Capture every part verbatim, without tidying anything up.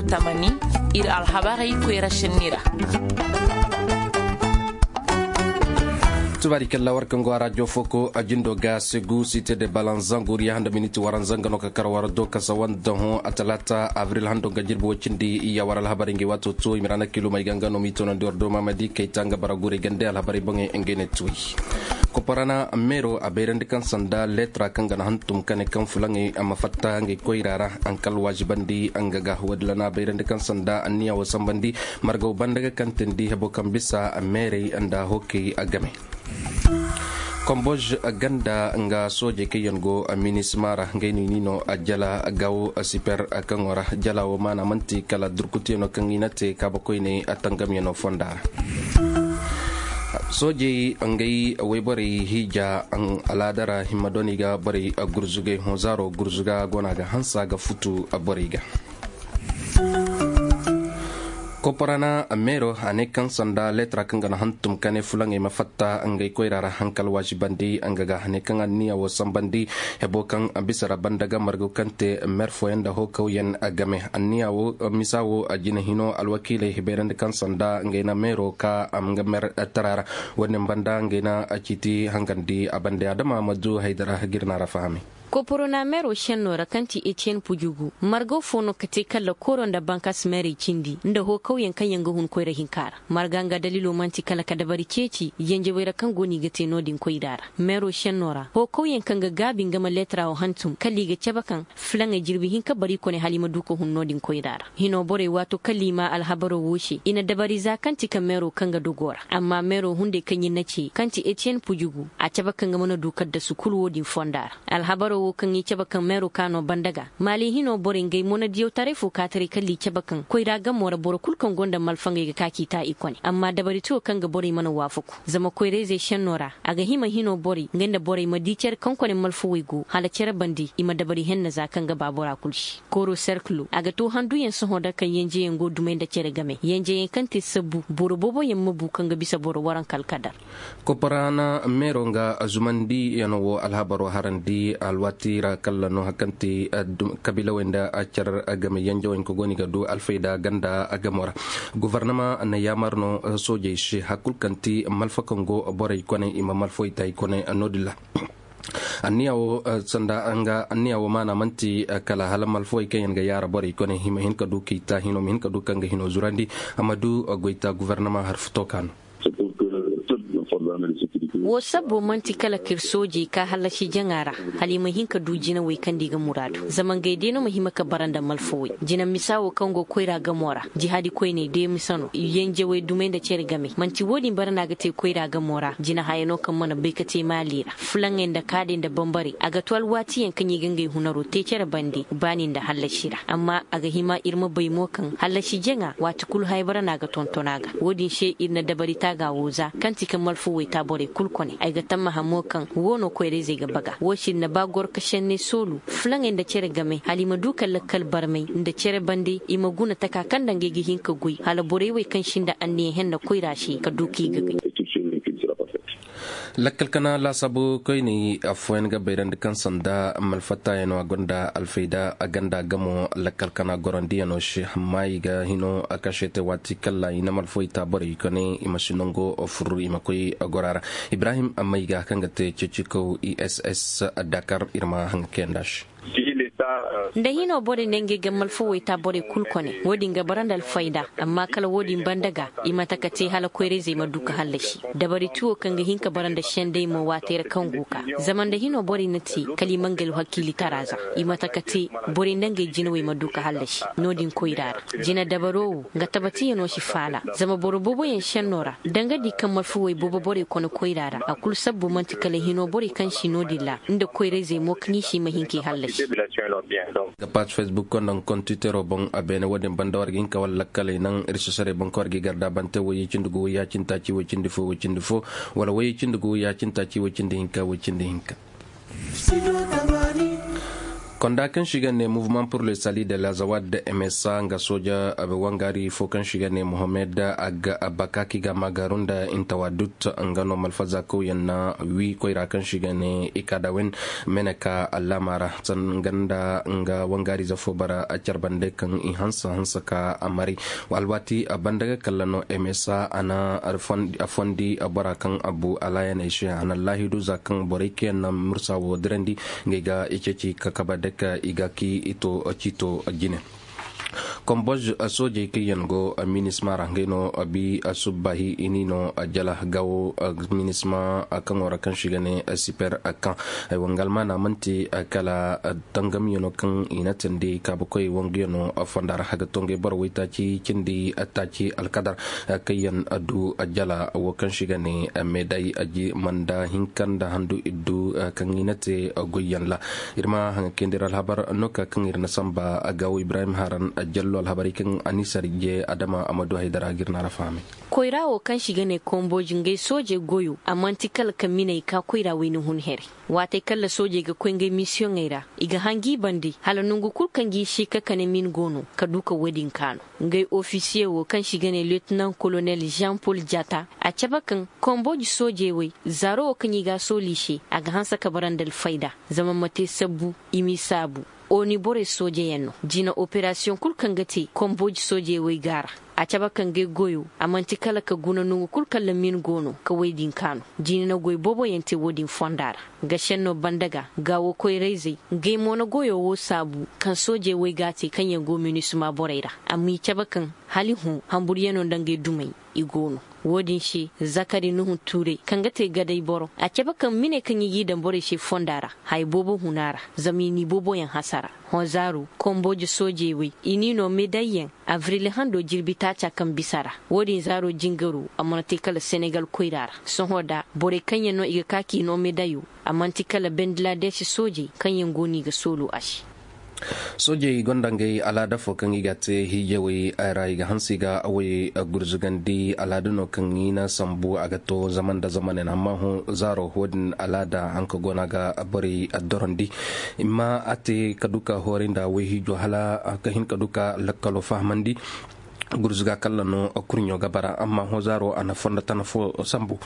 Tamani, iri alhabarey koyra senni ra. Tubaari kalla war kaŋ go a rajo foko a jindo ga segu site de balanzan goriya handa miniti waranza nga no ka kar war do kasa wanda hõ a talaata abril hando ga jirbi wo cindi. Iya war alhabarey nga waato to i ma ra na kilumey ga nga no m'i toonandi war do maamadi kayta nga bara gurey gande alhabarey boŋey ngey ne tuwey. Koparana meero a bayrandi kaŋ sanda letra kaŋ ga na hantum kane kaŋ fulaŋey a ma fatta ngey koyra ra. Hankal waazibandi nga ga woodin ra no a bayrandi kaŋ sanda anniya wo sambandi margaw banda ga kantandi hebo kaŋ bisa meerey nda hookey game. Komboj ganda nga soojey kaŋ yaŋ go minisma ra ngey no i n'i no jala gawo siper kaŋo ra. Jala wo maana manti kala durkutiyano kaŋ i na te kaabakoyney tangamyano fonda ra. Soojey ngey wayborey hiija alaada ra himma dooney ga borey gurzugay hõ zaaro gurzuga go no a ga hansa ga futu borey ga. Koporana meero a ne kaŋ sanda letra kaŋ ga na hantum ka ne fulaŋey ma fatta ngey koyra ra hankal waazibandi nga ga ne kaŋ anniya wo sambandi hebo kaŋ bisa ra banda ga margu kaŋ te mer fooyaŋ nda hookawyaŋ game anniya wo misa wo a jina hino alwakiiley hibeerandi kaŋ sanda ngey na meero ka a ma nga mer tara ra. Wo-din banda ngey na ciiti hangandi a bande adama ma du haydara jirna ra fahamay. Koporona meero senno ra kaŋ ti etiyen pujugu margaw fo no ka te kala kooro nda bankas meerey cindi nda hookawyaŋ kaŋ yaŋ ga hun koyra hinka ra. Marga nga daliilo manti kala ka dabari ceeci yanjawey ra kaŋ go no i ga te no-din koyra ra. Meero senno ra hookawyaŋ kaŋ ga gaabi nga ma leetara wo hantum kala i ga cabe kaŋ fulaŋey jirbi hinka bari kone hala i ma du ka hun no-din koyra ra. Hino borey waato kala i ma alhabaro wo se i na dabari za kaŋ ti ka meero kaŋ ga dogo ra amma meero hunday kaŋ i na ce kaŋ ti etiyen pujugu a cabe kaŋ ga mana du kaddasu kulu wo-din fonda ra. Alhabaro wo kaŋ i cabe kaŋ meero ka no banda ga maali hino borey ngey monadiyaw taray fo ka taray kala i cabe kaŋ koyra gamo ra boro kulu kaŋ gonda malfangey ga ka k'i ta i kone amma dabari tiyo kaŋ ga borey mana waafaku zama koyrayzey senno ra a ga hima hino borey ngey nda borey ma di care kaŋ kone malfawey go hala care bande i ma dabari henna za kaŋ ga ba bora kulu se. Kooro serkilo a ga to handuyaŋ sohõ da kaŋ yanjeyaŋ go dumey nda care game yanjeyaŋ kaŋ te sabbu boro booboyaŋ ma bu kaŋ ga bisa boro waranka alkadar. Koporana meero nga zumandiyano wo alhabaro harandi alwaati ra kala no haŋ kaŋ te kabiilawey nda care game yanjawey hinka go no i ga du alfayda ganda gamo ra. Gofornama na yaamar no soojey se hari kulu kaŋ ti malfa kaŋ go borey kone i ma malfawey ta i kone no-din ra. Anniya wo sanda nga anniya wo maana manti kala hala malfawey kaŋ yaŋ ga yaara borey kone i ma hin ka du k'i ta hino ma hin ka du kaŋ ga hino zurandi a ma du goyta gofornama hari futo ka no. Wo sabbo manti kala ka iri soojey ka hallasi jaŋa ra hala i ma hin ka du jinawey kaŋ da i ga muraadu zama ngey day no ma hima ka bara nda malfawey jina misa wo kaŋ go koyra gamo ra jihaadi koyney day misa no yanjawey dumey nda care game manti wo-din bara no a ga te koyra gamo ra jina haya no kaŋ mana bay ka te maali ra fulaŋey nda kaadey nda bambarey a ga to alwaatiyaŋ kaŋ i ga ngey hunaro te care bande baani nda hallasi ra amma a ga hima iri ma bay mo kaŋ hallasi jaŋa waati kulu haybara no a ga tonton a ga wo-din se iri na dabari taaga wo za kaŋ ti ka malfawey ta borey kulu kone ay ga tammaha mo kaŋ wo no koyrayzey ga baga wo se iri na ba goro ka senney soolu fulaŋey nda care game hala i ma du ka lakkal barmay nda care bande i ma guna taka kaŋ nda ngey ga hin ka goy hala borey wey kaŋ sinda anniya henna koyra se ka du k'i ga gay. Lakkal kana laasaabu koyney afooyaŋ ga bayrandi kaŋ sanda malfattayaŋo a gonda alfayda a ganda gamo lakkal kana gorandiyano se amma i ga hino a kase te waati kala i na malfawey ta borey kone i ma si nango furu i ma koy gora ra. Ibrahim amma i ga kaŋ ga te ceecikaw i s s dakar iri ma haŋ ga kayanda se. Nda hino borey ne ngey ga malfawey ta borey kulu kone wo-din ga bara nda alfayda amma kala wo-din banda ga i mate ka te hala koyrayzey ma du ka hallasi dabari tiwo kaŋ ga hin ka bara nda sendey mo waatey ra kaŋ go ka zama nda hino borey na te kala i ma ngey alhakiilitara za i mate ka te borey nda ngey jinawey ma du ka hallasi no-din koyra ra. Jina dabaro wo nga tabatiyano si faala zama boro booboyaŋ senno ra danga di kaŋ malfawey boobo borey kone koyra ra a kulu sabbu manti kala hino borey kaŋ si no-din ra nda koyrayzey mo kaŋ i si ma hin k'i hallasi. Ga paaci facebook konda nga kontitero boŋ a beene wo-din banda war ga hin ka wala lakkaley naŋ iri si saray boŋ kaŋ war ga i garda bante wayye cindi gu wayya cindi taaci way cindi fo way cindi fo wala wayye cindi gu wayya cindi taaci way cindi hinka way cindi hinka. Konda kaŋ se i ga ne mouvement pour le salut de la zawad, msa nga sooja wangaari fo kaŋ se i ga ne mohammed, a ga bakaki ga maagaru nda intawadut, nga no malfaza kawyaŋ na wi koyra kaŋ se i ga ne ikadawen, mene ka allaama ra. Sanga nda nga wangaarize fo bara care bande kaŋ i hanse hanse ka a maray. Alwaati banda ga kalla no msa a na a fondi bora kaŋ a bu alaayaney se a na laahidu za kaŋ borey kaŋ yaŋ na mursa wo dirandi, ngey ga i ceeci ka kabe dake i ga ki i to ciito jine. Komboj soojey kaŋ yaŋ go minisma ra ngey no bi subbaahi i n'i no jala gawo. Minisma kaŋo ra kaŋ se i ga ne super kaŋ ay wanga almaana manti kala tangamyano kaŋ i na tindi kaabakoy wanguyano fonda ra a ga to ngey boro waytaaci cindi taaci alkadar kaŋ yaŋ du jala wo kaŋ se i ga ne meday aji manda hinka nda handu iddu kaŋ i na te goyyaŋ ra. Iri ma haŋa kayandi ra alhabar no ka kaŋ iri na samba gawo ibrahim haran jallo alhabarey kaŋ a ni sarje adama a ma du haydara ga iri no a ra fahamay. Koyra wo kaŋ se i ga ne komboji ngey sooje goyo a manti kala ka miney ka koyra wayna hun here. Waatey kaŋ ra soojey ga koy ngey misiyoŋey ra i ga hangi bande hala nangu kulu kaŋ ga i si ka kane min go no ka du ka wo- din kaanu. Ngey ofisiye wo kaŋ se i ga ne liyetinaŋ kolonel jean paul jatta a cabe kaŋ komboji soojey wey zaaro wo kaŋ i ga a sooli i se a ga hanse ka bara nda alfayda zama ma te sabbu i m'i saabu. Oni borey soojeyaŋ no jina operasiyoŋ kulu kaŋ ga te komboji soojey wey go a ra. A cabe kaŋ ngey goyo a manti kala ka guna nangu kulu kaŋ ra min go no ka woy din kaanu. Jina na goy boobo yaŋ te wo- din fonda ra. Ga senno banda ga gaawo koyrayzey ngey mo na goyo wo saabu kaŋ soojey wey go a te kaŋ yaŋ go minisma borey ra. Amma i cabe kaŋ hala i hõ hamburyano nda ngey dumey i go no. Wo- din se zakari nuhu tuurey kaŋ ga te gaday boro a cabe kaŋ mine kaŋ i g'i daŋ borey se fonda ra haya boobo huna ra zama i n'i booboyaŋ hasara. Hõ zaaro kombooji soojey wey i n'i no medayyaŋ abril hando jirbi taaca kaŋ bisa ra. Wo- din zaaro jingaro a mana te kala senegal koyra ra. Sohõ da borey kaŋ yaŋ no i ga ka k'i no medayo a manti kala bangladesh soojey kaŋ yaŋ go no i ga soolu a se. Soojey gonda ngey alaada fo kaŋ i ga te hiijawey ra i ga hanse i ga awey gurzugandi alaada no kaŋ i na sambu a ga to zaman da zamanen amma hõ zaaro wo- din alaada hanka go no a ga borey dorandi. I ma a te ka du ka hooray nda wayhiijo hala ka hin ka du ka lakkalo fahamandi. Gurzuga kalla no kurɲo ga bara amma hõ zaaro a na fondo tana fo sambu.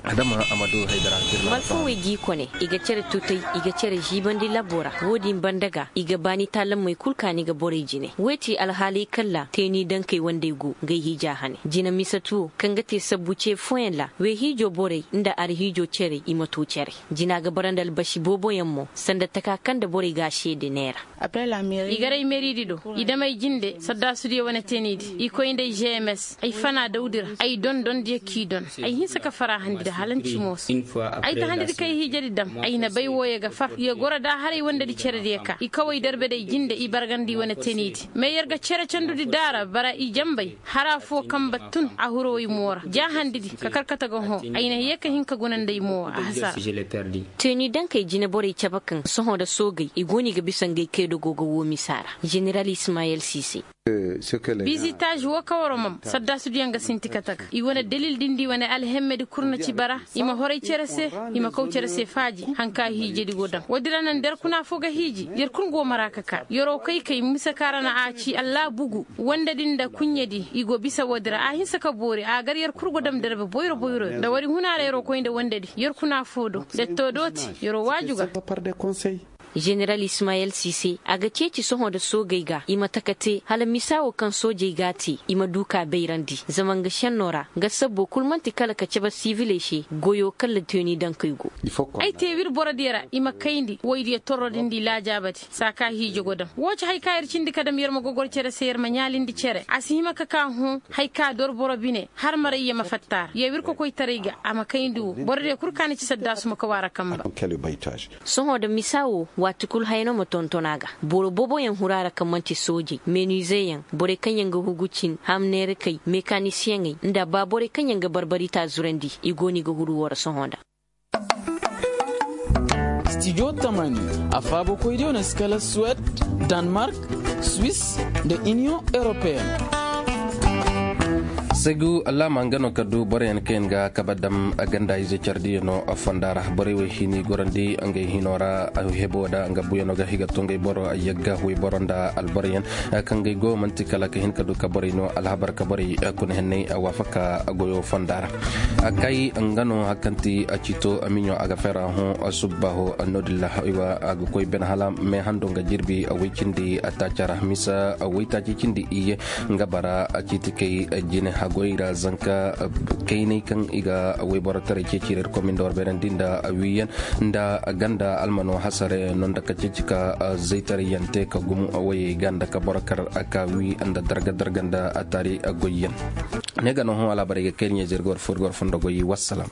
Adama amadu haydara. Malfawey g'i kone i ga care tutay i ga care ziibandi labbo ra wo- din banda ga i ga baani taalamey kulu kaani ga borey jine wey ti alhaaley kalla teeni dankey wandey go ngey hiija hane jina misatu wo kaŋ ga te sabbu ce fooyaŋ ra wayhiijo borey nda arhiijo cerey i ma to care. Jina ga bara nda albasi booboyaŋ mo sanda taka kaŋ nda borey ga a seede neera. I garay meeridi do i damay jinde saddaasudiyo wane teenidi i koy nda ay gms ay fana dawdi ra ay dondondiyo k'i don. Ay hinse ka fara handi da halanci mooso. Ay ta handidi kay hiijedi dam ay na bay wooyo ga far ye goro da haray wandedi cerediyo ka i kaway darbe day jinde i bargandi wane teenidi mais yer ga cere candudi daara bara i jambay hara fo kambe tun a huro ay moora ja handidi ka karkata ga hõ ay na ye ka hin ka guna nda ay moowa a hasara. Teeni dankey jine borey cabe kaŋ sohõ nda soogey i go no i ga bisa ngey kaydogo ga wo misa ra. Zeneral ismayel si se. Bizitaazi wo kawaro mam saddaasudiyaŋ ga sinti kate ga i wane dalil din di wane alhemmedi kulu na ci bara i ma horay cere se i ma kaw cere se faaji haŋ ka hiijedi go daŋ woodi ra naŋ da yer kuna fo ga hiiji yer kulu go mara ka ka yero kay kay misa kaŋ ra na a ci allah bugu wande din nda kunyedi i go bisa woodi ra a hinse ka boori a gar yer kulu go dam darbe boyro boyro nda wari huna ra yero koy nda wandedi yer kuna fo do detto dooti yero waaju ga. Zeneral ismayel sise a ga ceeci sohõ nda soogey ga i ma taka te hala misa wo kaŋ soojey ga a te i ma du ka bayrandi zama nga senno ra nga sabbo kulu manti kala ka cabe siviley se goyo kala teeni dankey go. Ay te w'iri borodiyo ra i ma kayndi woydiyo torro din di laajaabadi saaka hiijo go daŋ wo ci hari kaŋ yer cindi ka dam yer ma gogoro cere se yer ma ɲaalindi cere a si hima ka ka hõ hari kaŋ a dor boro bine har maray ye ma fatta a ra ye w'iri kokoytaray ga a ma kayndi wo borodiyo kulu kaŋ a na ci saddaasu ma kaw a ra kamba. Sohõ nda misa wo waati kulu haya no ma tonton a ga boro booboyaŋ huru a ra kaŋ manti soojey meeniizeyaŋ borey kaŋ yaŋ ga hugu cin hamneerakey mekanisiyeŋey nda ba borey kaŋ yaŋ ga barbari taazurandi i go no i ga huru wo ra sohõ nda. Stijo tamani a faabokoydiyo na si kala suwed, danmark, swiss, nda iniyoŋ europeen. Segu alaama nga no ka du boroyaŋ kaŋ yaŋ ga kabe dam ganda ize care diya no fonda ra. Borey wo hini gorandi ngey hino ra, hebo da nga buyano ga higa to ngey boro yagga wayboro nda alboroyaŋ kaŋ ngey go manti kala ka hin ka du ka borey no alhabar ka borey kuna henney waafaka goyo fonda ra. Kay nga no hari kaŋ ti ciito miɲo a ga fera hõ subbaho. No-din ra a ga koy bene hala me hando nga jirbi way cindi taaca ra misa way taaci cindi iyye nga bara ciitikey jine hagoy ra zanka kaynay kaŋ i ga wayborotaray ceeci ra iri komin da war beerandi nda wiiyaŋ nda ganda almano hasare no nda ka ceeci ka zaytaray yaŋ te ka gumo wayey ga nda ka boro kar ka wi nda darga darga nda taari goyyaŋ. Ne ga no hõ alaabarey ga kayri ɲayze iri ga war fo iri ga war fondo goy wassalam.